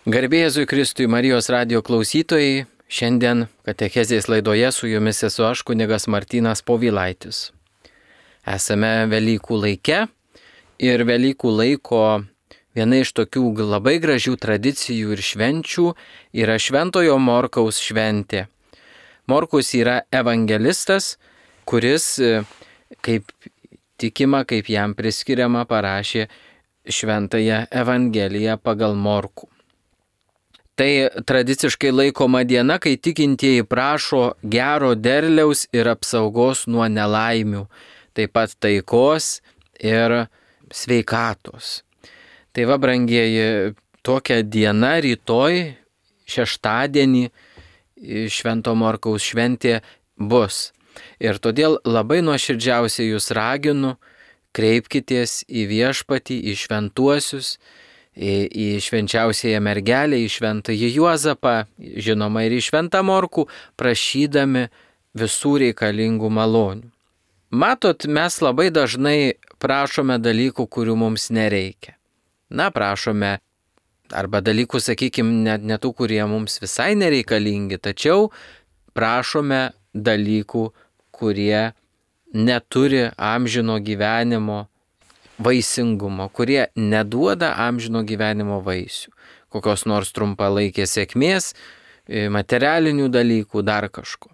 Garbė Jėzui Kristui, Marijos radijo klausytojai, šiandien katechezės laidoje su jumis esu aš, kunigas Martynas Povilaitis. Esame Velykų laike ir Velykų laiko viena iš tokių labai gražių tradicijų ir švenčių yra Šventojo Morkaus šventė. Morkus yra evangelistas, kuris, kaip tikima, kaip jam priskiriama, parašė Šventąją Evangeliją pagal Morkų. Tai tradiciškai laikoma diena, kai tikintieji prašo gero derliaus ir apsaugos nuo nelaimių, taip pat taikos ir sveikatos. Tai va, brangieji, tokia diena rytoj, šeštadienį, Švento Morkaus šventė bus. Ir todėl labai nuoširdžiausiai jūs raginu, kreipkitės į Viešpatį, į šventuosius, į švenčiausiąją mergelę, į šventąjį Juozapą, žinoma ir į šventą Morkų, prašydami visų reikalingų malonių. Matot, mes labai dažnai prašome dalykų, kurių mums nereikia. Prašome arba dalykų, sakykime, ne tų, kurie mums visai nereikalingi, tačiau prašome dalykų, kurie neturi amžino gyvenimo vaisingumo, kurie neduoda amžino gyvenimo vaisių, kokios nors trumpalaikės sėkmės, materialinių dalykų, dar kažko.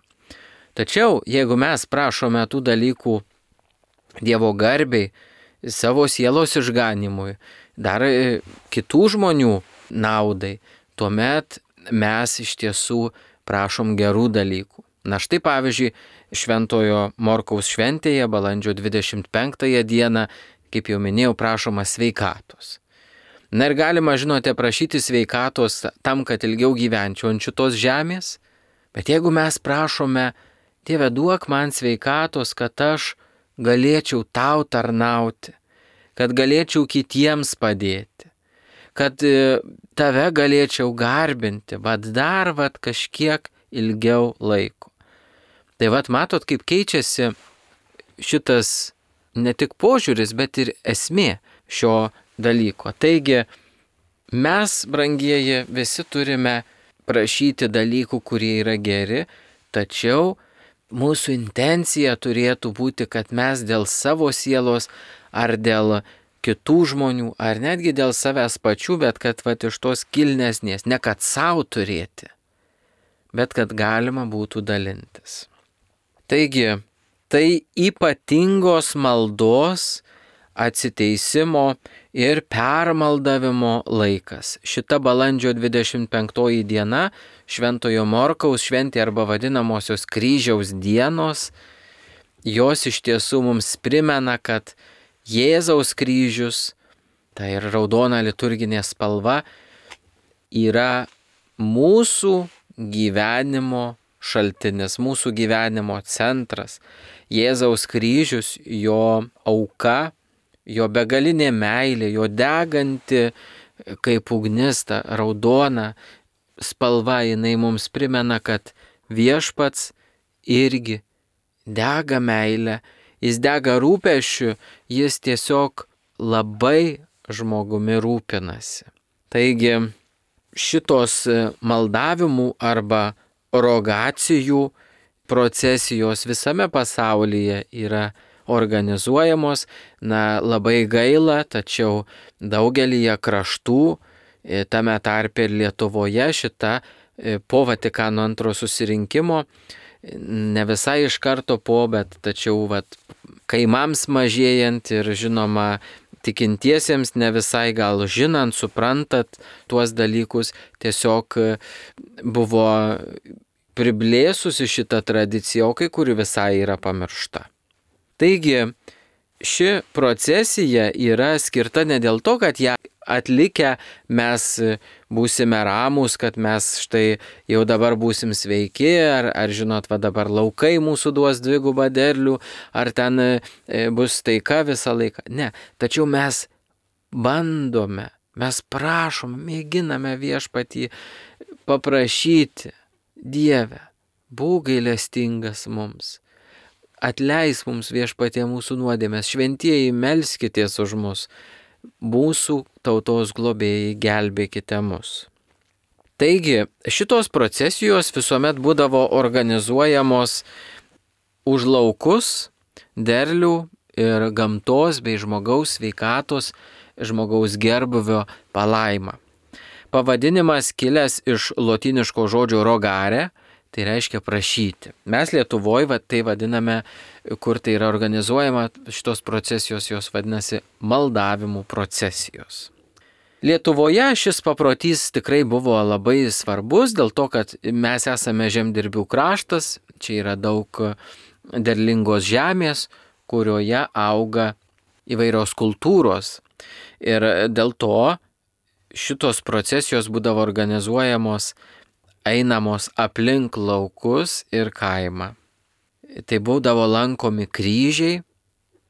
Tačiau, jeigu mes prašome tų dalykų Dievo garbei, savo sielos išganimui, dar kitų žmonių naudai, tuomet mes iš tiesų prašom gerų dalykų. Štai pavyzdžiui, Šventojo Morkaus šventėje, balandžio 25 dieną, kaip jau minėjau, prašoma sveikatos. Ir galima, žinote, prašyti sveikatos tam, kad ilgiau gyvenčiau ant šitos žemės, bet jeigu mes prašome, Dieve, duok man sveikatos, kad aš galėčiau tau tarnauti, kad galėčiau kitiems padėti, kad tave galėčiau garbinti, dar kažkiek ilgiau laiko. Tai matot, kaip keičiasi šitas ne tik požiūris, bet ir esmė šio dalyko. Taigi, mes, brangieji, visi turime prašyti dalykų, kurie yra geri, tačiau mūsų intencija turėtų būti, kad mes dėl savo sielos ar dėl kitų žmonių, ar netgi dėl savęs pačių, bet kad iš tos kilnesnės, ne kad savo turėti, bet kad galima būtų dalintis. Taigi, tai ypatingos maldos, atsiteisimo ir permaldavimo laikas. Šita balandžio 25 diena, Šventojo Morkaus šventė arba vadinamosios kryžiaus dienos, jos iš tiesų mums primena, kad Jėzaus kryžius, tai ir raudona liturginė spalva, yra mūsų gyvenimo šaltinis, mūsų gyvenimo centras. Jėzaus kryžius, jo auka, jo begalinė meilė, jo deganti kaip ugnis, ta raudona spalva, jinai mums primena, kad Viešpats irgi dega meilę, jis dega rūpesčiu, jis tiesiog labai žmogumi rūpinasi. Taigi šitos maldavimų arba rogacijų procesijos visame pasaulyje yra organizuojamos, labai gaila, tačiau daugelyje kraštų, tame tarpe ir Lietuvoje, šita po Vatikano II susirinkimo, ne visai iš karto bet tačiau kaimams mažėjant ir žinoma tikintiesiems ne visai gal žinant, suprantat tuos dalykus, tiesiog buvo priblėsusi šitą tradiciją, o kai kuri visai yra pamiršta. Taigi, ši procesija yra skirta ne dėl to, kad ją atlikę mes būsime ramūs, kad mes štai jau dabar būsim sveiki, ar žinot, dabar laukai mūsų duos dvigubą derlių, ar ten bus taika visą laiką. Ne, tačiau mes bandome, mes prašom, mėginame Viešpatį paprašyti, Dieve, būk gailestingas mums. Atleis mums, Viešpatie, mūsų nuodėmes, šventieji, melskitės už mus, mūsų tautos globėjai, gelbėkite mus. Taigi, šitos procesijos visuomet būdavo organizuojamos už laukus, derlių ir gamtos bei žmogaus sveikatos, žmogaus gerbuvio palaimą. Pavadinimas kilęs iš lotyniško žodžio rogare, tai reiškia prašyti. Mes Lietuvoje tai vadiname, kur tai yra organizuojama, šitos procesijos jos vadinasi maldavimų procesijos. Lietuvoje šis paprotys tikrai buvo labai svarbus, dėl to, kad mes esame žemdirbių kraštas, čia yra daug derlingos žemės, kurioje auga įvairios kultūros. Ir dėl to šitos procesijos būdavo organizuojamos, einamos aplink laukus ir kaimą. Tai būdavo lankomi kryžiai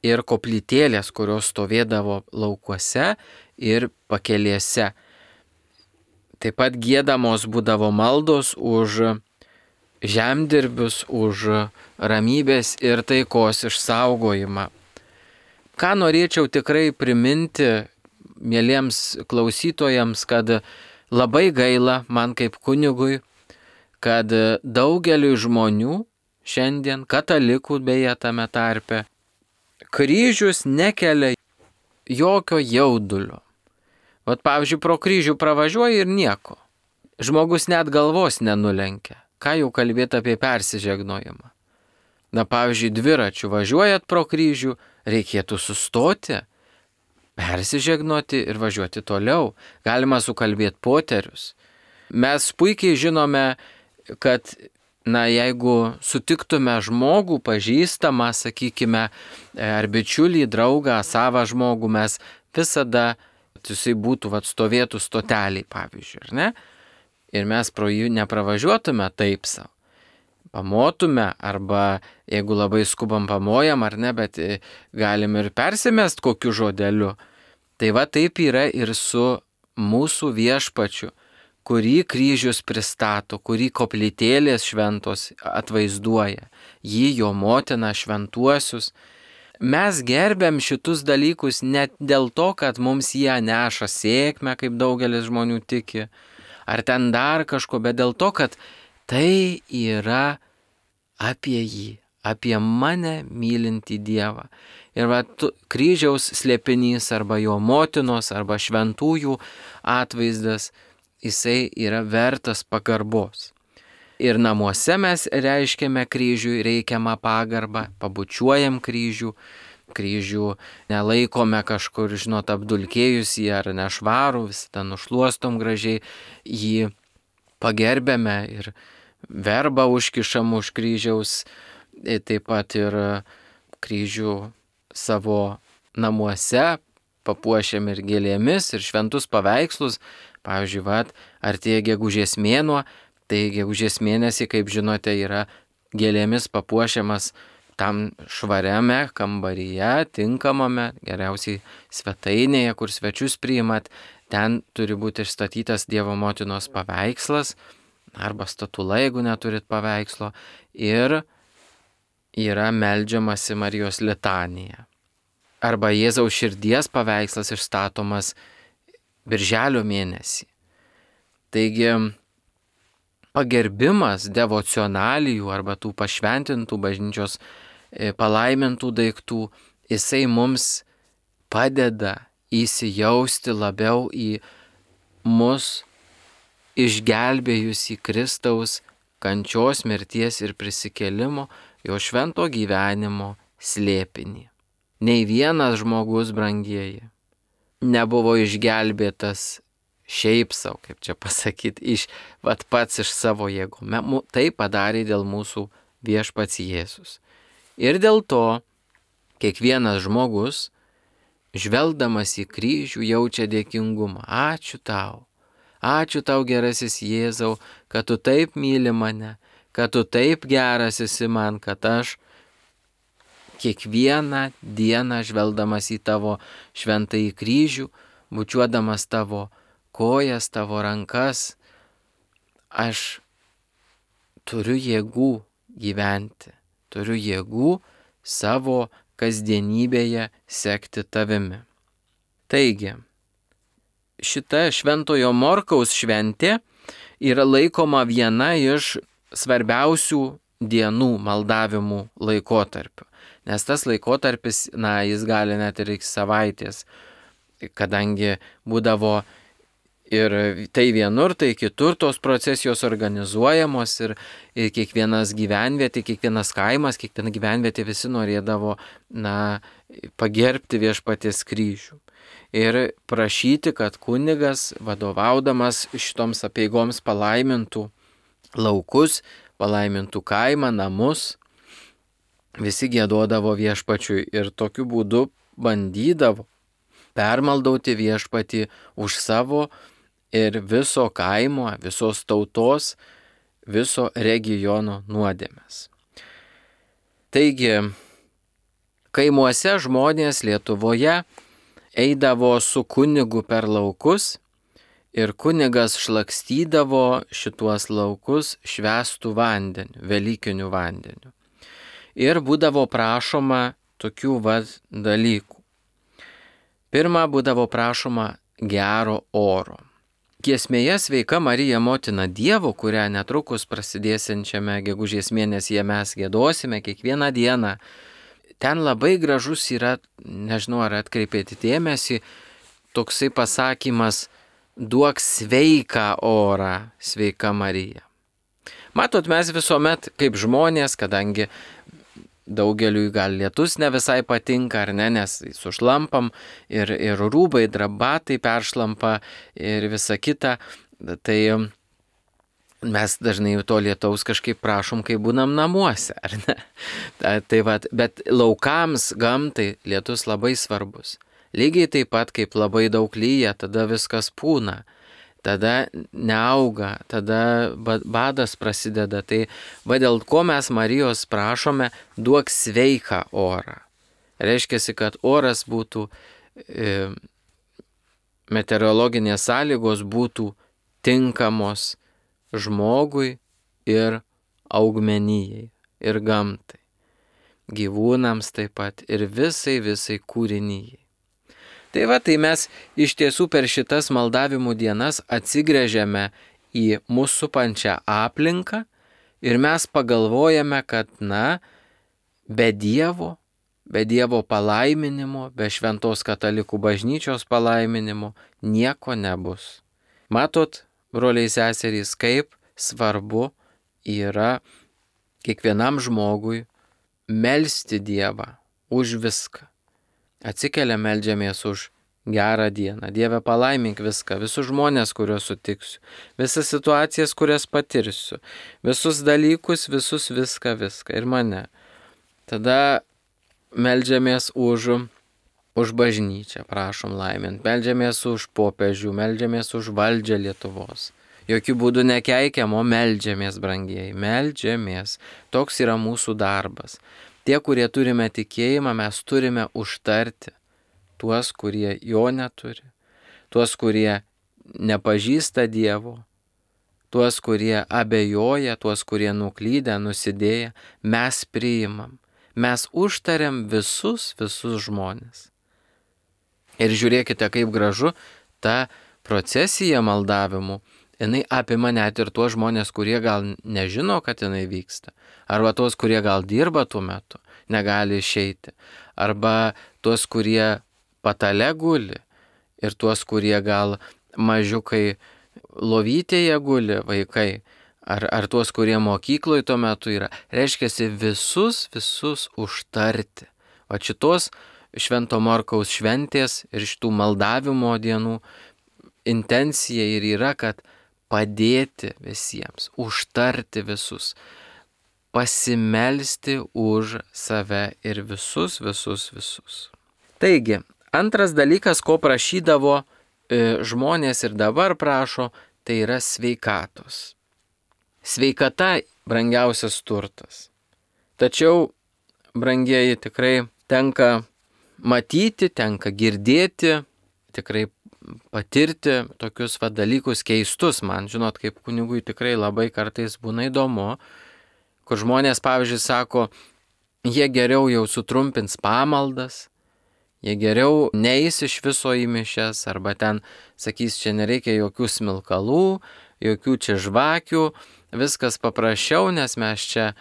ir koplytėlės, kurios stovėdavo laukuose ir pakelėse. Taip pat giedamos būdavo maldos už žemdirbius, už ramybės ir taikos išsaugojimą. Ką norėčiau tikrai priminti mieliems klausytojams, kad labai gaila man kaip kunigui, kad daugeliu žmonių šiandien, katalikų beje tame tarpe, kryžius nekelia jokio jaudulio. Vat pavyzdžiui, pro kryžių pravažiuoja ir nieko. Žmogus net galvos nenulenkia. Ką jau kalbėti apie persižegnojimą? Na, pavyzdžiui, dviračiu važiuojat pro kryžių, reikėtų sustoti, persižegnoti ir važiuoti toliau. Galima sukalbėti poterius. Mes puikiai žinome, kad, jeigu sutiktume žmogų, pažįstamą, sakykime, ar bičiulį, draugą, savą žmogų, mes visada, jisai būtų, stovėtų stoteliai, pavyzdžiui, ar ne? Ir mes pro jų nepravažiuotume taip savo. Pamotume, arba jeigu labai skubam pamojam, ar ne, bet galim ir persimest kokiu žodeliu. Tai taip yra ir su mūsų viešpačiu, kurį kryžius pristato, kurį koplytėlės šventos atvaizduoja, jį, jo motiną, šventuosius. Mes gerbiam šitus dalykus net dėl to, kad mums jie neša sėkmę, kaip daugelis žmonių tiki, ar ten dar kažko, bet dėl to, kad tai yra apie jį, apie mane mylintį Dievą. Ir kryžiaus slėpinys arba jo motinos arba šventųjų atvaizdas, jisai yra vertas pagarbos. Ir namuose mes reiškiame kryžiui reikiamą pagarbą, pabučiuojam kryžių nelaikome kažkur, apdulkėjusį ar nešvarų, visada nušluostom gražiai, jį pagerbėme ir verbą užkišam už kryžiaus, taip pat ir kryžių savo namuose papuošiam ir gėlėmis, ir šventus paveikslus. Pavyzdžiui, artėja gegužės mėnuo, tai gegužės mėnesį, kaip žinote, yra gėlėmis papuošiamas tam švariame kambaryje, tinkamame, geriausiai svetainėje, kur svečius priimat, ten turi būti išstatytas Dievo motinos paveikslas, arba statula, jeigu neturit paveikslo, ir yra meldžiamasi Marijos litanija. Arba Jėzaus širdies paveikslas išstatomas birželio mėnesį. Taigi, pagerbimas devocionalijų arba tų pašventintų bažnyčios palaimintų daiktų, jisai mums padeda įsijausti labiau į mus išgelbėjusį Kristaus kančios, mirties ir prisikėlimo, jo švento gyvenimo slėpinį. Nei vienas žmogus, brangieji, nebuvo išgelbėtas šiaip savo, kaip čia pasakyti, pats iš savo jėgų. Tai padarė dėl mūsų viešpats Jėzus. Ir dėl to kiekvienas žmogus, žvelgdamas į kryžių, jaučia dėkingumą. Ačiū tau gerasis Jėzau, kad tu taip myli mane, kad tu taip geras esi man, kad aš kiekvieną dieną žvelgdamas į tavo šventąjį kryžių, bučiuodamas tavo kojas, tavo rankas, aš turiu jėgų gyventi, turiu jėgų savo kasdienybėje sekti tavimi. Taigi, šita Šventojo Morkaus šventė yra laikoma viena iš svarbiausių dienų maldavimų laikotarpių. Nes tas laikotarpis, jis gali net ir iki savaitės, kadangi būdavo ir tai vienur, tai kitur tos procesijos organizuojamos ir kiekvienas gyvenvietė, kiekvienas kaimas, kiekviena gyvenvietė visi norėdavo, pagerbti Viešpaties kryžių. Ir prašyti, kad kunigas, vadovaudamas šitoms apeigoms, palaimintų laukus, palaimintų kaimą, namus, visi giedodavo Viešpačiui ir tokiu būdu bandydavo permaldauti Viešpatį už savo ir viso kaimo, visos tautos, viso regiono nuodėmes. Taigi, kaimuose žmonės Lietuvoje eidavo su kunigu per laukus ir kunigas šlakstydavo šituos laukus švęstų vandeniu, velykiniu vandeniu. Ir būdavo prašoma tokių dalykų. Pirma, būdavo prašoma gero oro. Giesmėje Sveika Marija Motina Dievo, kurią netrukus prasidėsiančiame gegužės mėnesyje mes giedosime kiekvieną dieną, ten labai gražus yra, nežinau ar atkreipėte dėmesį, toksai pasakymas: duok sveiką orą, Sveika Marija. Matot, mes visuomet kaip žmonės, kadangi daugeliui gal lietus ne visai patinka, ar ne, nes sušlampam ir rūbai, drabatai peršlampa ir visa kita, tai mes dažnai to lietaus kažkaip prašom, kai būnam namuose, ar ne? Bet laukams, gamtai lietus labai svarbus. Lygiai taip pat, kaip labai daug lyja, tada viskas pūna. Tada neauga, tada badas prasideda. Tai dėl ko mes Marijos prašome, duok sveiką orą. Reiškia, kad oras būtų, meteorologinės sąlygos būtų tinkamos žmogui ir augmenijai, ir gamtai, gyvūnams taip pat, ir visai kūrinijai. Tai mes iš tiesų per šitas maldavimų dienas atsigręžiame į mūsų supančią aplinką ir mes pagalvojame, kad be Dievo palaiminimo, be šventos katalikų bažnyčios palaiminimo nieko nebus. Matot, broliai seserys, kaip svarbu yra kiekvienam žmogui melsti Dievą už viską. Atsikeliam, meldžiamės už gerą dieną. Dieve, palaimink viską, visus žmonės, kuriuos sutiksiu, visas situacijas, kurias patirsiu, visus dalykus, viską ir mane. Tada meldžiamės už bažnyčią, prašom laimint, meldžiamės už popiežių, meldžiamės už valdžią Lietuvos. Jokių būdų nekeikiam, o meldžiamės, brangieji, meldžiamės. Toks yra mūsų darbas. Tie, kurie turime tikėjimą, mes turime užtarti tuos, kurie jo neturi, tuos, kurie nepažįsta Dievo, tuos, kurie abejoja, tuos, kurie nuklydę, nusidėję, mes priimam, mes užtariam visus žmonės. Ir žiūrėkite, kaip gražu ta procesija maldavimų, jinai apima net ir tuos žmonės, kurie gal nežino, kad jinai vyksta. Arba tuos, kurie gal dirba tuo metu, negali išeiti. Arba tuos, kurie patale guli. Ir tuos, kurie gal mažiukai lovytėje guli, vaikai. Ar tuos, kurie mokykloje tuo metu yra. Reiškia, visus užtarti. O šitos Švento Morkaus šventės ir šitų maldavimo dienų intencija ir yra, kad padėti visiems, užtarti visus, pasimelsti už save ir visus. Taigi, antras dalykas, ko prašydavo žmonės ir dabar prašo, tai yra sveikatos. Sveikata brangiausias turtas. Tačiau, brangieji, tikrai tenka matyti, tenka girdėti, tikrai patirti tokius dalykus keistus. Man, žinot, kaip kunigui tikrai labai kartais būna įdomu, kur žmonės, pavyzdžiui, sako, jie geriau jau sutrumpins pamaldas, jie geriau neis iš viso į mišias, arba ten sakys, čia nereikia jokių smilkalų, jokių čia žvakių, viskas paprasčiau, nes mes čia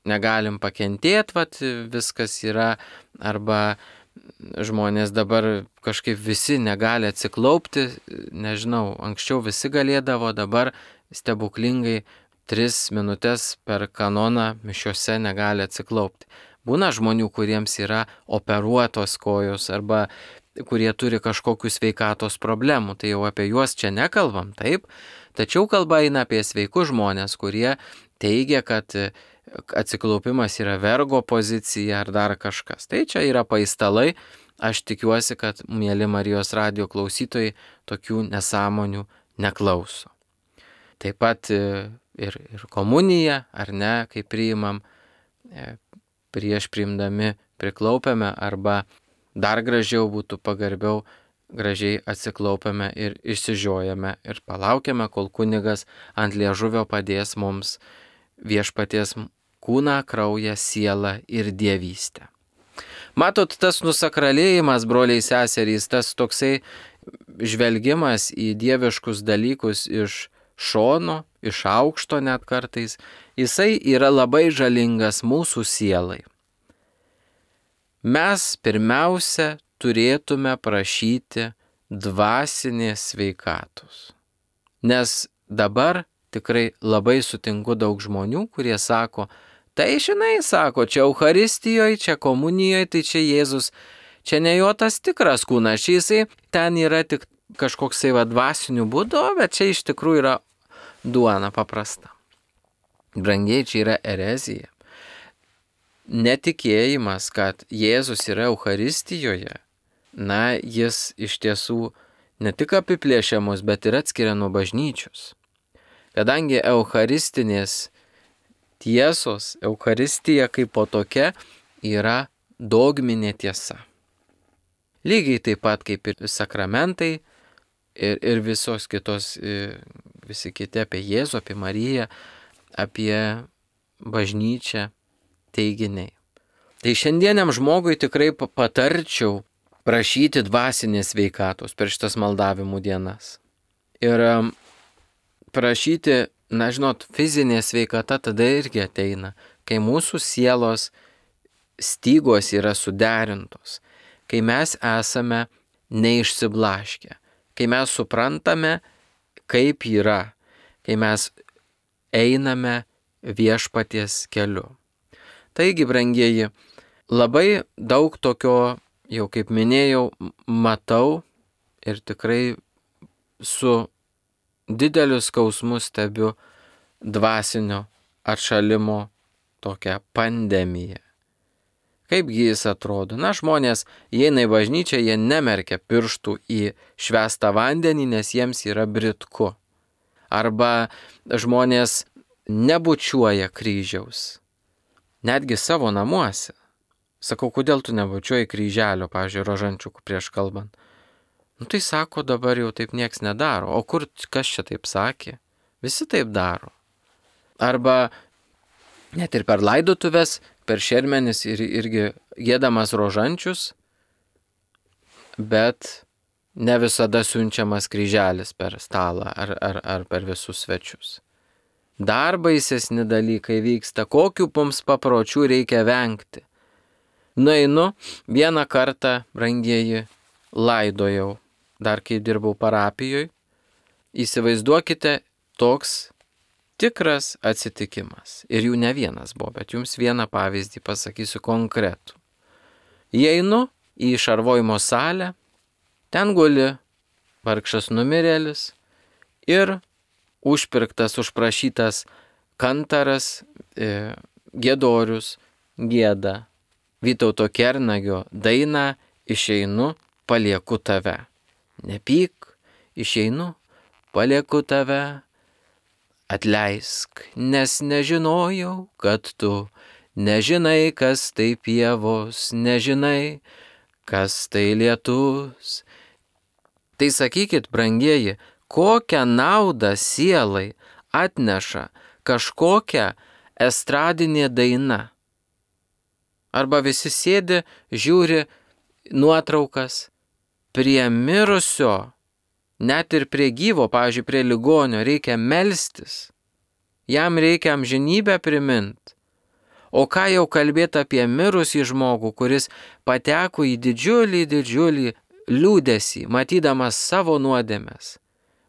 negalim pakentėti, viskas yra, arba žmonės dabar kažkaip visi negali atsiklaupti, nežinau, anksčiau visi galėdavo, dabar stebuklingai 3 minutės per kanoną mišiose negali atsiklaupti. Būna žmonių, kuriems yra operuotos kojos arba kurie turi kažkokių sveikatos problemų, tai jau apie juos čia nekalbam, taip, tačiau kalba eina apie sveikus žmonės, kurie teigia, kad atsiklaupimas yra vergo pozicija ar dar kažkas. Tai čia yra paistalai, aš tikiuosi, kad mėly Marijos radijo klausytojai tokių nesąmonių neklauso. Taip pat ir komuniją, ar ne, kai priimam, prieš priimdami priklaupiame, arba dar gražiau būtų pagarbiau, gražiai atsiklaupiame ir išsižiojame ir palaukiame, kol kunigas ant liežuvio padės mums viešpaties kūną, kraują, sielą ir dievystę. Matot, tas nusakralėjimas, broliai seserys, tas toksai žvelgimas į dieviškus dalykus iš šono, iš aukšto net kartais, jisai yra labai žalingas mūsų sielai. Mes pirmiausia turėtume prašyti dvasinės sveikatos. Nes dabar tikrai labai sutinku daug žmonių, kurie sako, tai žinai, sako, čia Eucharistijoje, čia komunijoje, tai čia Jėzus, čia ne jo tas tikras kūnas, čia jisai ten yra tik kažkoksai dvasinių būdų, bet čia iš tikrųjų yra duona paprasta. Brangiai, čia yra erezija. Netikėjimas, kad Jėzus yra Eucharistijoje, jis iš tiesų ne tik apiplėšia mus, bet ir atskiria nuo bažnyčios. Kadangi eucharistinės tiesos, Eucharistija kaip po tokia yra dogminė tiesa. Lygiai taip pat kaip ir sakramentai ir visos kitos, visi kiti apie Jėzų, apie Mariją, apie bažnyčią teiginiai. Tai šiandieniam žmogui tikrai patarčiau prašyti dvasinės sveikatos per šitas maldavimų dienas. Ir prašyti, fizinė sveikata tada irgi ateina, kai mūsų sielos stygos yra suderintos, kai mes esame neišsiblaškę, kai mes suprantame, kaip yra, kai mes einame viešpaties keliu. Taigi, brangieji, labai daug tokio, jau kaip minėjau, matau ir tikrai su dideliu skausmu stebiu dvasinio atšalimo tokią pandemiją. Kaipgi jis atrodo? Žmonės įeina į bažnyčią, jie nemerkia pirštų į švęstą vandenį, nes jiems yra britku. Arba žmonės nebučiuoja kryžiaus. Netgi savo namuose. Sakau, kodėl tu nebučiuoji kryželio, pavyzdžiui, rožančiukų prieš kalbant? Tai sako, dabar jau taip nieks nedaro. O kas čia taip sakė? Visi taip daro. Arba net ir per laidotuves, per šermenis irgi gėdamas rožančius, bet ne visada siunčiamas kryželis per stalą ar per visus svečius. Dar baisesni dalykai vyksta, kokių mums papročių reikia vengti. Nueinu, vieną kartą, brangieji, laidojau, dar kai dirbau parapijoje, įsivaizduokite toks tikras atsitikimas. Ir jų ne vienas buvo, bet jums vieną pavyzdį pasakysiu konkretų. Įeinu į šarvojimo salę, ten guli vargšas numirėlis ir užpirktas, užprašytas kantaras, giedorius, gieda Vytauto Kernagio dainą Išeinu, palieku tave. Nepyk, išeinu, palieku tave. Atleisk, nes nežinojau, kad tu nežinai, kas tai pievos, nežinai, kas tai lietus. Tai sakykit, brangieji, kokią naudą sielai atneša kažkokia estradinė daina. Arba visi sėdi, žiūri nuotraukas, prie mirusio Net ir prie gyvo, pavyzdžiui, prie ligonio reikia melstis. Jam reikia amžinybę priminti. O ką jau kalbėti apie mirusį žmogų, kuris pateko į didžiulį liūdesį, matydamas savo nuodėmes,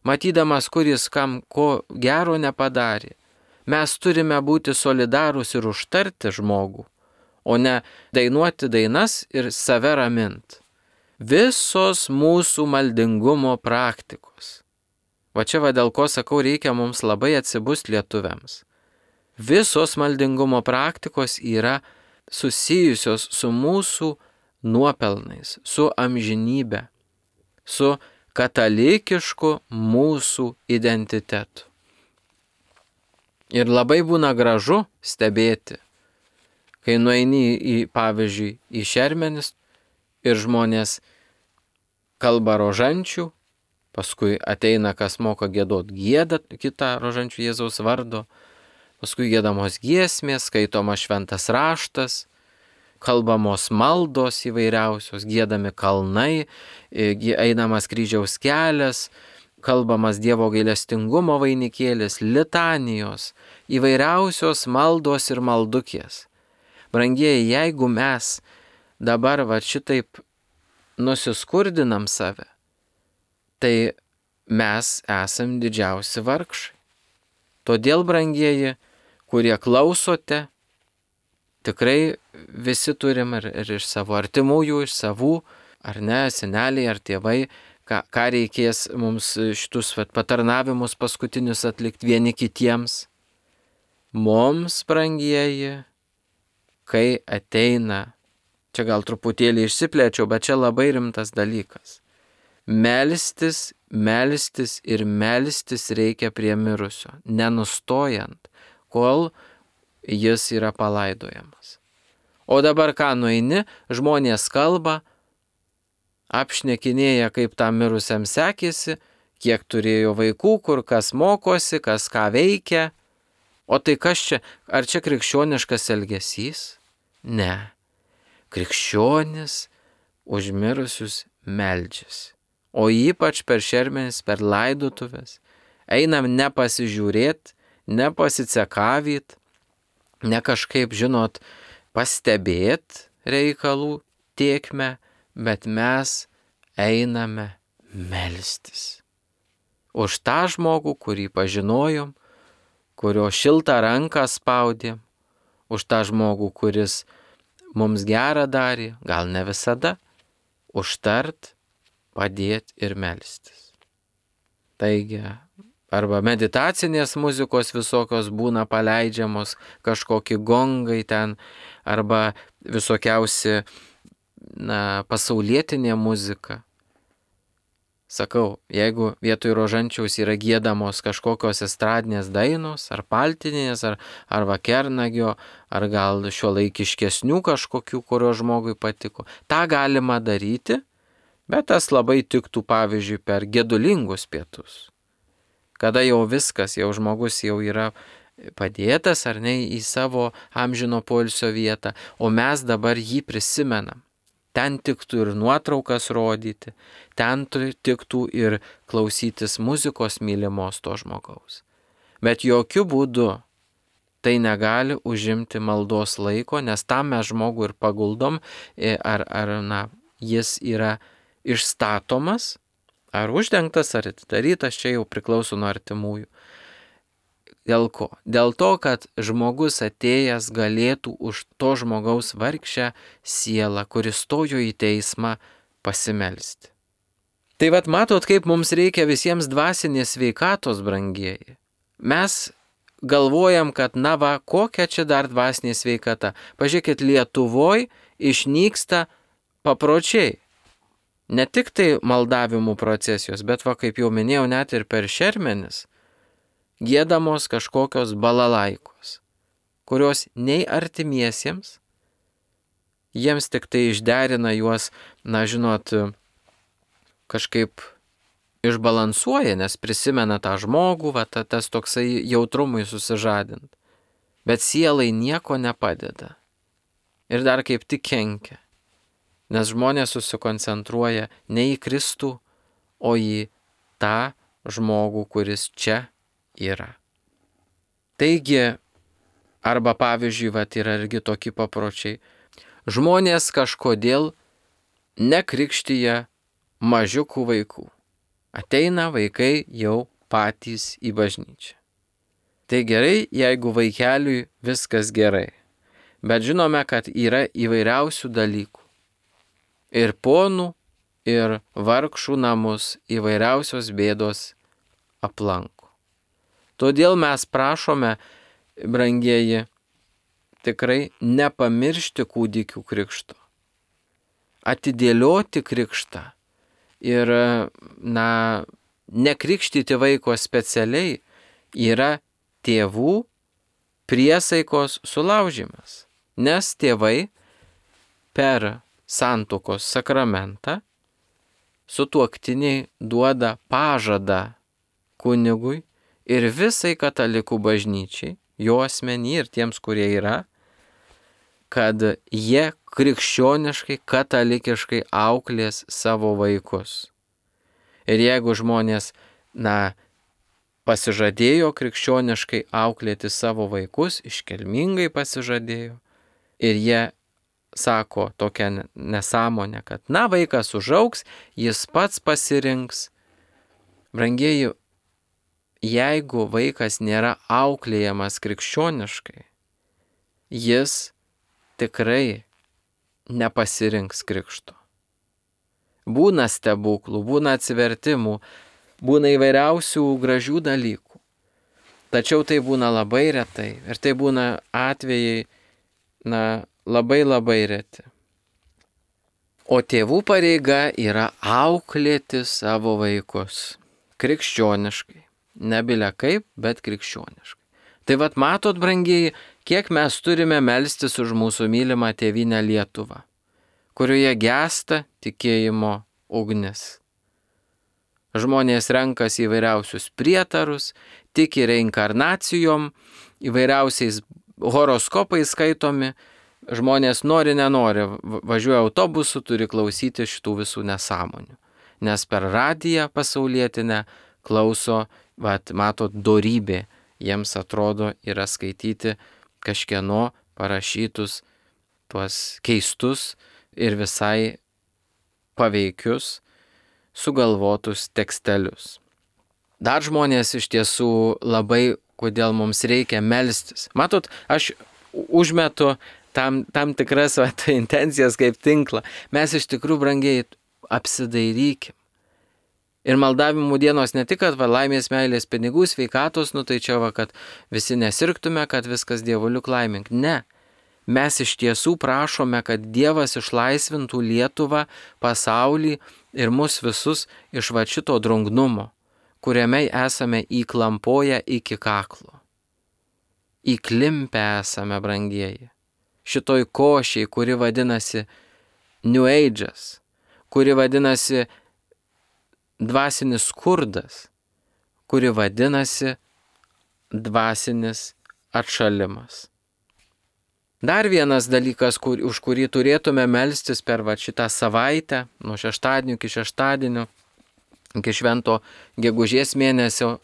matydamas, kuris kam ko gero nepadarė. Mes turime būti solidarūs ir užtarti žmogų, o ne dainuoti dainas ir save ramint. Visos mūsų maldingumo praktikos. Va čia dėl ko sakau, reikia mums labai atsibust lietuviams. Visos maldingumo praktikos yra susijusios su mūsų nuopelnais, su amžinybe, su katalikišku mūsų identitetu. Ir labai būna gražu stebėti, kai nueini pavyzdžiui, į šermenis ir žmonės kalba rožančių, paskui ateina, kas moka giedot gėdą kitą rožančių Jėzaus vardo, paskui giedamos giesmės, skaitoma šventas raštas, kalbamos maldos įvairiausios, giedami kalnai, einamas kryžiaus kelias, kalbamas Dievo gailestingumo vainikėlis, litanijos, įvairiausios maldos ir maldukės. Brangieji, jeigu mes dabar šitaip nusiskurdinam save, tai mes esam didžiausi vargšai. Todėl, brangieji, kurie klausote, tikrai visi turim ir iš savo artimųjų, iš savų, ar ne, seneliai ar tėvai, ką reikės mums šitus patarnavimus paskutinius atlikti vieni kitiems. Mums, brangieji, kai ateina, čia gal truputėlį išsiplėčiau, bet čia labai rimtas dalykas. Melstis ir melstis reikia prie mirusio, nenustojant, kol jis yra palaidojamas. O dabar ką nueini, žmonės kalba, apšnekinėja, kaip tam mirusiam sekėsi, kiek turėjo vaikų, kur kas mokosi, kas ką veikia. O tai kas čia? Ar čia krikščioniškas elgesys? Ne. Krikščionis už mirusius meldžiasi. O ypač per šermenis, per laidotuvės. Einam nepasižiūrėt, nepasicekavyt, ne kažkaip, žinot, pastebėt reikalų tėkmę, bet mes einame melstis. Už tą žmogų, kurį pažinojom, kurio šiltą ranką spaudėm, už tą žmogų, kuris mums gerą darė, gal ne visada, užtart, padėti ir melstis. Taigi, arba meditacinės muzikos visokios būna paleidžiamos, kažkokie gongai ten, arba visokiausi, pasaulietinė muzika. Sakau, jeigu vietoj rožančiaus yra giedamos kažkokios estradinės dainos, ar paltinės, ar vakernagio, ar gal šiuolaikiškesnių kažkokių, kurio žmogui patiko, tą galima daryti, bet tas labai tiktų, pavyzdžiui, per gedulingus pietus. Kada jau viskas, jau žmogus jau yra padėtas ar ne į savo amžino poilsio vietą, o mes dabar jį prisimenam. Ten tiktų ir nuotraukas rodyti, ten tiktų ir klausytis muzikos mylimos to žmogaus. Bet jokių būdų tai negali užimti maldos laiko, nes tam mes žmogų ir paguldom, jis yra išstatomas, ar uždengtas, ar atidarytas, čia jau priklauso nuo artimųjų. Dėl ko? Dėl to, kad žmogus atėjęs galėtų už to žmogaus vargšę sielą, kuris stojo į teismą, pasimelsti. Tai matot, kaip mums reikia visiems dvasinės sveikatos, brangieji. Mes galvojam, kad kokia čia dar dvasinė sveikata. Pažiūrėkit, Lietuvoj išnyksta papročiai. Ne tik tai maldavimų procesijos, bet kaip jau minėjau, net ir per šermenis giedamos kažkokios balalaikos, kurios nei artimiesiems, jiems tik tai išderina juos, kažkaip išbalansuoja, nes prisimena tą žmogų, tas toksai jautrumui susižadint. Bet sielai nieko nepadeda. Ir dar kaip tik kenkia. Nes žmonės susikoncentruoja ne į Kristų, o į tą žmogų, kuris čia yra. Taigi, arba pavyzdžiui, yra irgi tokie papročiai. Žmonės kažkodėl nekrikštyja mažiukų vaikų. Ateina vaikai jau patys į bažnyčią. Tai gerai, jeigu vaikeliui viskas gerai. Bet žinome, kad yra įvairiausių dalykų. Ir ponų, ir vargšų namus įvairiausios bėdos aplanko. Todėl mes prašome, brangieji, tikrai nepamiršti kūdikių krikšto. Atidėlioti krikštą ir, nekrikštyti vaiko specialiai yra tėvų priesaikos sulaužimas. Nes tėvai per santuokos sakramentą sutuoktiniai duoda pažadą kunigui ir visai katalikų bažnyčiai, jo asmenį ir tiems, kurie yra, kad jie krikščioniškai, katalikiškai auklės savo vaikus. Ir jeigu žmonės, pasižadėjo krikščioniškai auklėti savo vaikus, iškilmingai pasižadėjo, ir jie sako tokią nesąmonę, kad vaikas užaugs, jis pats pasirinks. Brangieji, jeigu vaikas nėra auklėjamas krikščioniškai, jis tikrai nepasirinks krikšto. Būna stebuklų, būna atsivertimų, būna įvairiausių gražių dalykų. Tačiau tai būna labai retai ir tai būna atvejai, labai reti. O tėvų pareiga yra auklėti savo vaikus krikščioniškai. Nebile kaip, bet krikščioniškai. Tai matot, brangieji, kiek mes turime melstis už mūsų mylimą tėvynę Lietuvą, kurioje gęsta tikėjimo ugnis. Žmonės renkasi įvairiausius prietarus, tiki reinkarnacijom, įvairiausiais horoskopais skaitomi. Žmonės nenori, važiuoja autobusu, turi klausyti šitų visų nesąmonių. Nes per radiją pasaulietinę klauso, matot, dorybė. Jiems atrodo yra skaityti kažkieno parašytus tuos keistus ir visai paveikius sugalvotus tekstelius. Dar žmonės iš tiesų labai, kodėl mums reikia melstis. Matot, aš užmetu tam tikras intencijas kaip tinklą. Mes iš tikrųjų, brangiai, apsidairykim. Ir maldavimų dienos ne tik, kad laimės, meilės, pinigų, sveikatos, tai čia kad visi nesirgtume, kad viskas dievuliuk laimink. Ne. Mes iš tiesų prašome, kad Dievas išlaisvintų Lietuvą, pasaulį ir mus visus iš šito drungnumo, kuriame esame įklampoję iki kaklo. Įklimpę esame, brangieji. Šitoj košiai, kuri vadinasi New Age'as, kuri vadinasi dvasinis skurdas, kuri vadinasi dvasinis atšalimas. Dar vienas dalykas, už kurį turėtume melstis per šitą savaitę, nuo šeštadienio iki šeštadienio, iki švento gegužės mėnesio,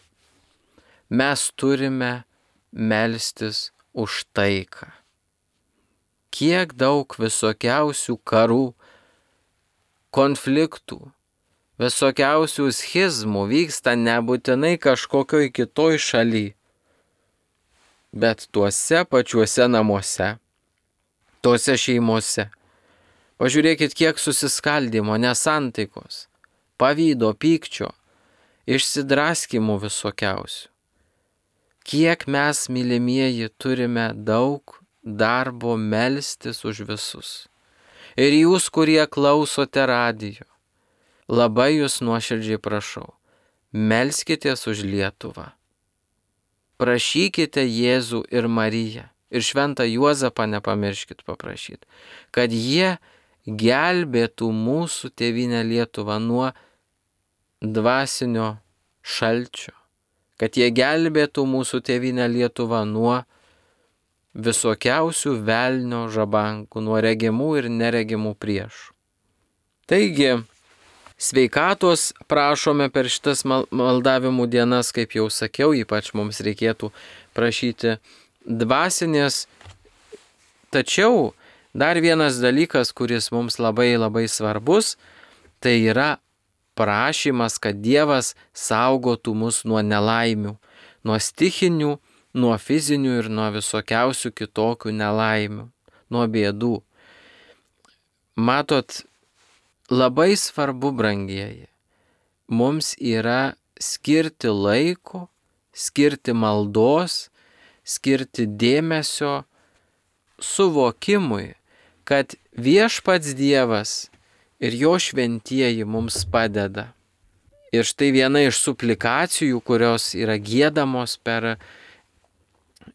mes turime melstis už taiką. Kiek daug visokiausių karų, konfliktų, visokiausių schizmų vyksta nebūtinai kažkokioj kitoj šaly, bet tuose pačiuose namuose, tuose šeimose. Pažiūrėkit, kiek susiskaldimo, nesantaikos, pavydo, pykčio, išsidraskimų visokiausių. Kiek mes, mylimieji, turime daug darbo melstis už visus. Ir jūs, kurie klausote radijo, labai jūs nuoširdžiai prašau, melskitės už Lietuvą. Prašykite Jėzų ir Mariją, ir šventą Juozapą nepamirškit paprašyti, kad jie gelbėtų mūsų tėvynę Lietuvą nuo dvasinio šalčio, kad jie gelbėtų mūsų tėvynę Lietuvą nuo visokiausių velnio žabankų, nuo regimų ir neregimų priešų. Taigi, Sveikatos prašome per šitas maldavimų dienas, kaip jau sakiau, ypač mums reikėtų prašyti dvasinės. Tačiau dar vienas dalykas, kuris mums labai labai svarbus, tai yra prašymas, kad Dievas saugotų mus nuo nelaimių, nuo stichinių, nuo fizinių ir nuo visokiausių kitokių nelaimių, nuo bėdų. Matot, labai svarbu, brangieji, mums yra skirti laiko, skirti maldos, skirti dėmesio suvokimui, kad viešpats Dievas ir jo šventieji mums padeda. Ir štai viena iš suplikacijų, kurios yra giedamos per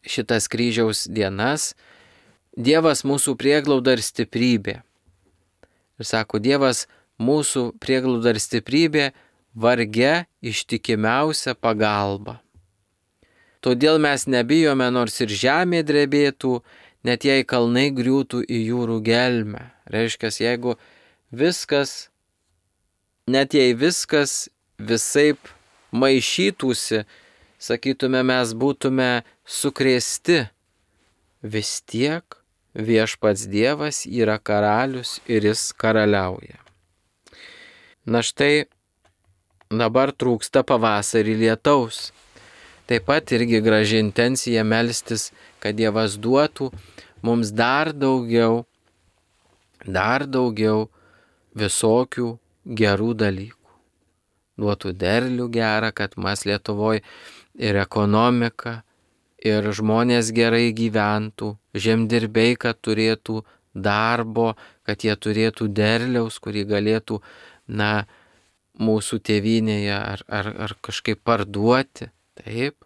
šitas kryžiaus dienas, Dievas mūsų prieglauda ir stiprybė. Ir sako, Dievas mūsų prieglauda ir stiprybė, varge ištikimiausia pagalba. Todėl mes nebijome, nors ir žemė drebėtų, net jei kalnai griūtų į jūrų gelmę. Reiškia, jeigu viskas, net jei viskas visaip maišytųsi, sakytume, mes būtume sukrėsti, vis tiek viešpats Dievas yra karalius ir jis karaliauja. Na štai dabar trūksta pavasarį lietaus. Taip pat irgi graži intencija melstis, kad Dievas duotų mums dar daugiau visokių gerų dalykų. Duotų derlių gerą, kad mes Lietuvoje ir ekonomika, ir žmonės gerai gyventų, žemdirbiai, kad turėtų darbo, kad jie turėtų derliaus, kurį galėtų, mūsų tėvynėje ar kažkaip parduoti, taip,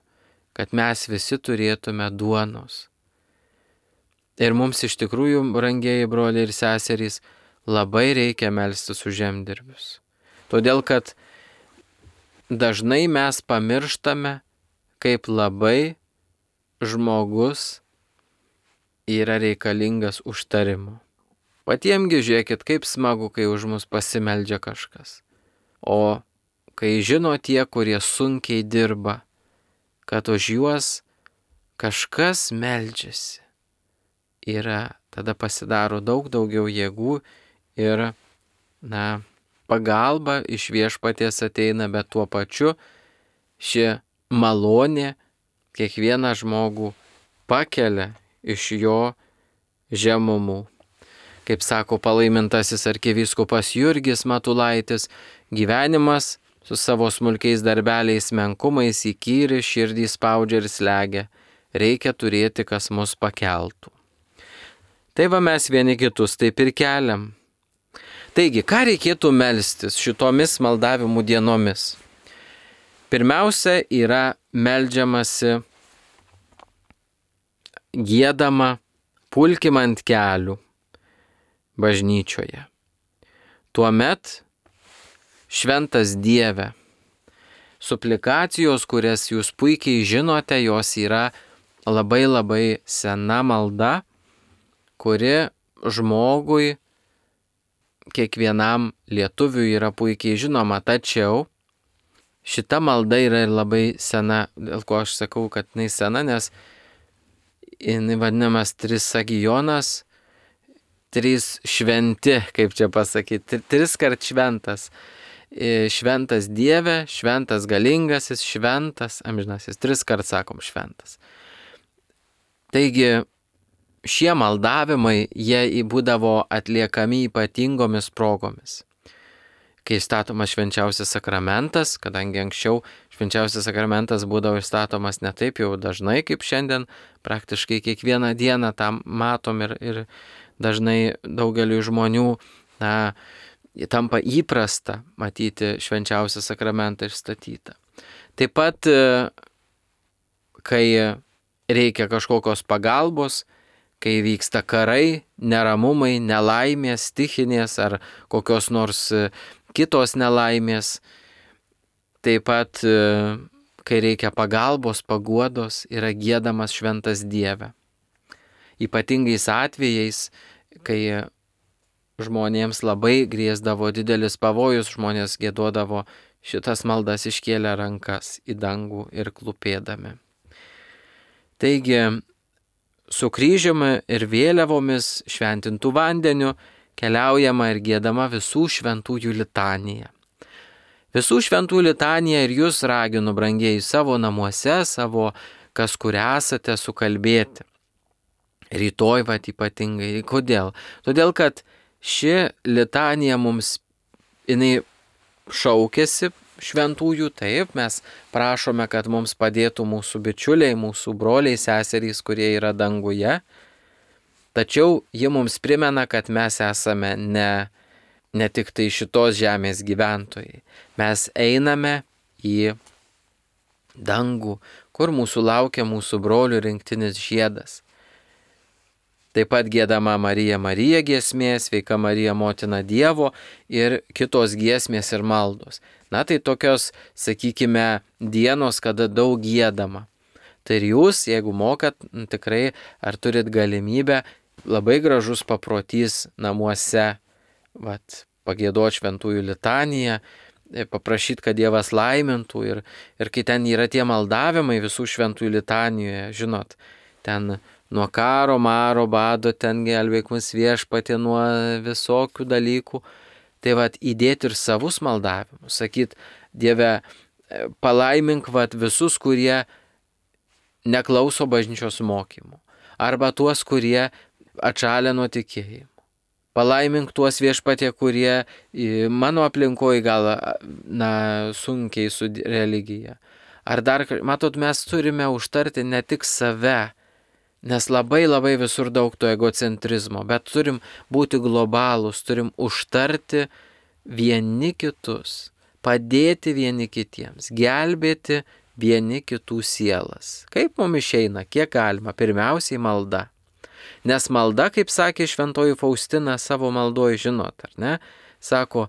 kad mes visi turėtume duonos. Ir mums iš tikrųjų, brangieji broliai ir seserys, labai reikia melstis už žemdirbius. Todėl, kad dažnai mes pamirštame, kaip labai žmogus yra reikalingas užtarimu. Patiemgi žiūrėkit, kaip smagu, kai už mus pasimeldžia kažkas. O kai žino tie, kurie sunkiai dirba, kad už juos kažkas meldžiasi, tada pasidaro daug daugiau jėgų ir, pagalba iš viešpaties ateina, bet tuo pačiu ši malonė kiekvieną žmogų pakelia iš jo žemumų. Kaip sako palaimintasis arkivyskupas Jurgis Matulaitis, gyvenimas su savo smulkiais darbeliais menkumais įkyri, širdį spaudžia ir slegia. Reikia turėti, kas mus pakeltų. Tai va mes vieni kitus taip ir keliam. Taigi, ką reikėtų melstis šitomis maldavimų dienomis? Pirmiausia, yra meldžiamasi, giedama, pulkim ant kelių bažnyčioje. Tuomet, šventas Dieve, suplikacijos, kurias jūs puikiai žinote, jos yra labai labai sena malda, kuri žmogui, kiekvienam lietuviui yra puikiai žinoma, tačiau šita malda yra ir labai sena, dėl ko aš sakau, kad jinai sena, nes jinai vadinamas trisagijonas, trys šventi, kaip čia pasakyti, tris kart šventas. Šventas Dieve, šventas galingasis, šventas amžinasis, tris kart sakom šventas. Taigi, šie maldavimai, jie būdavo atliekami ypatingomis progomis. Kai statomas švenčiausias sakramentas, kadangi anksčiau švenčiausias sakramentas būdavo statomas ne taip jau dažnai kaip šiandien, praktiškai kiekvieną dieną tam matom ir dažnai daugeliu žmonių tampa įprasta matyti švenčiausią sakramentą išstatytą. Taip pat, kai reikia kažkokios pagalbos, kai vyksta karai, neramumai, nelaimės, stichinės ar kokios nors kitos nelaimės. Taip pat, kai reikia pagalbos, paguodos, yra giedamas šventas Dieve. Ypatingais atvejais, kai žmonėms labai grėsdavo didelis pavojus, žmonės giedodavo šitas maldas iškėlę rankas į dangų ir klūpėdami. Taigi, su kryžiumi ir vėliavomis šventintų vandeniu keliaujama ir giedama visų šventųjų litanija. Visų šventųjų litanija ir jūs raginu, brangieji, savo namuose, savo kas kur esate, sukalbėti. Rytoj ypatingai. Kodėl? Todėl, kad ši litanija mums, jinai šaukėsi šventųjų, taip, mes prašome, kad mums padėtų mūsų bičiuliai, mūsų broliai, seserys, kurie yra danguje. Tačiau ji mums primena, kad mes esame ne tik tai šitos žemės gyventojai. Mes einame į dangų, kur mūsų laukia mūsų brolių rinktinis žiedas. Taip pat giedama Marija Marija giesmė, Sveika Marija Motina Dievo ir kitos giesmės ir maldos. Na tai tokios, sakykime, dienos, kada daug giedama. Tai ir jūs, jeigu mokat, tikrai ar turit galimybę, labai gražus paprotys namuose, pagiedoti šventųjų litaniją, paprašyti, kad Dievas laimintų ir kai ten yra tie maldavimai visų šventųjų litanijoje, žinot, ten nuo karo, maro, bado, ten gelbėk mus Viešpatie nuo visokių dalykų. Tai įdėti ir savus maldavimus, sakyt, Dieve, palaimink visus, kurie neklauso bažnyčios mokymų, arba tuos, kurie atšalę nuo tikėjimo. Palaimink tuos, Viešpatie, kurie mano aplinkoje gal, sunkiai su religija. Ar dar, matot, mes turime užtarti ne tik save, nes labai visur daug to egocentrizmo, bet turim būti globalūs, turim užtarti vieni kitus, padėti vieni kitiems, gelbėti vieni kitų sielas. Kaip mums išeina, kiek galima, pirmiausiai malda. Nes malda, kaip sakė šventoji Faustina savo maldoje, žinot, ar ne? Sako,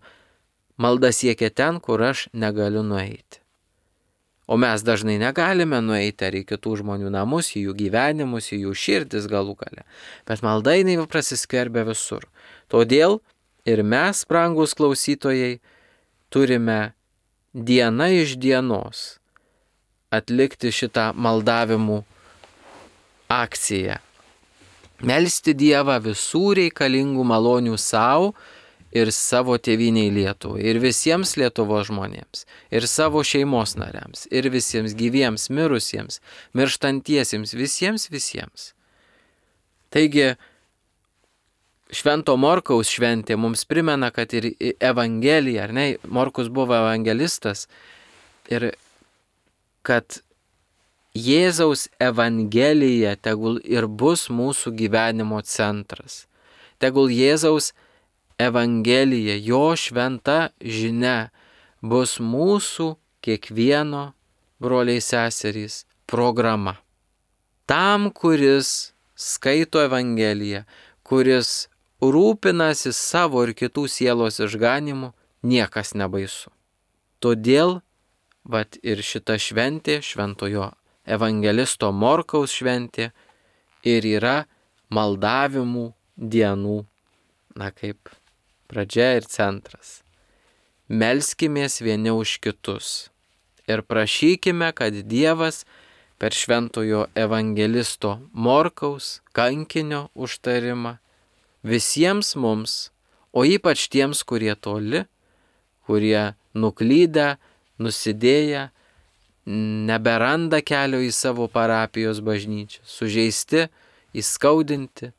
malda siekia ten, kur aš negaliu nueiti. O mes dažnai negalime nueiti ar į kitų žmonių namus, į jų gyvenimus, į jų širdis galų gale. Bet malda jinai prasiskverbia visur. Todėl ir mes, brangūs klausytojai, turime diena iš dienos atlikti šitą maldavimų akciją. Melsti Dievą visų reikalingų malonių savo ir savo tėvynei Lietuvai, ir visiems Lietuvos žmonėms, ir savo šeimos nariams, ir visiems gyviems, mirusiems, mirštantiesiems, visiems. Taigi, Švento Morkaus šventė mums primena, kad ir Evangelija, ar ne, Morkus buvo evangelistas, ir kad Jėzaus Evangelija tegul ir bus mūsų gyvenimo centras. Tegul Jėzaus Evangelija, jo šventa žinia bus mūsų kiekvieno, broliai seserys, programa. Tam, kuris skaito Evangeliją, kuris rūpinasi savo ir kitų sielos išganimu, niekas nebaisu. Todėl, ir šita šventė, šventojo evangelisto Morkaus šventė, ir yra maldavimų dienų, kaip pradžia ir centras. Melskimės vieni už kitus ir prašykime, kad Dievas per šventojo evangelisto Morkaus kankinio užtarimą visiems mums, o ypač tiems, kurie toli, kurie nuklydę, nusidėję, neberanda kelio į savo parapijos bažnyčią, sužeisti, įskaudinti.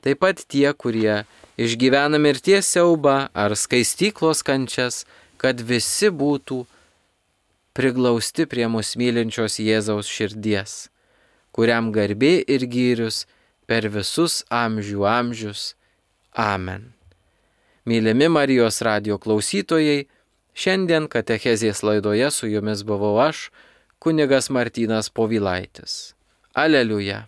Taip pat tie, kurie išgyvena mirties siaubą ar skaistyklos kančias, kad visi būtų priglausti prie mus mylinčios Jėzaus širdies, kuriam garbė ir gyrius per visus amžius. Amen. Mylimi Marijos radijo klausytojai, šiandien katechezės laidoje su jumis buvau aš, kunigas Martynas Povilaitis. Aleliuja.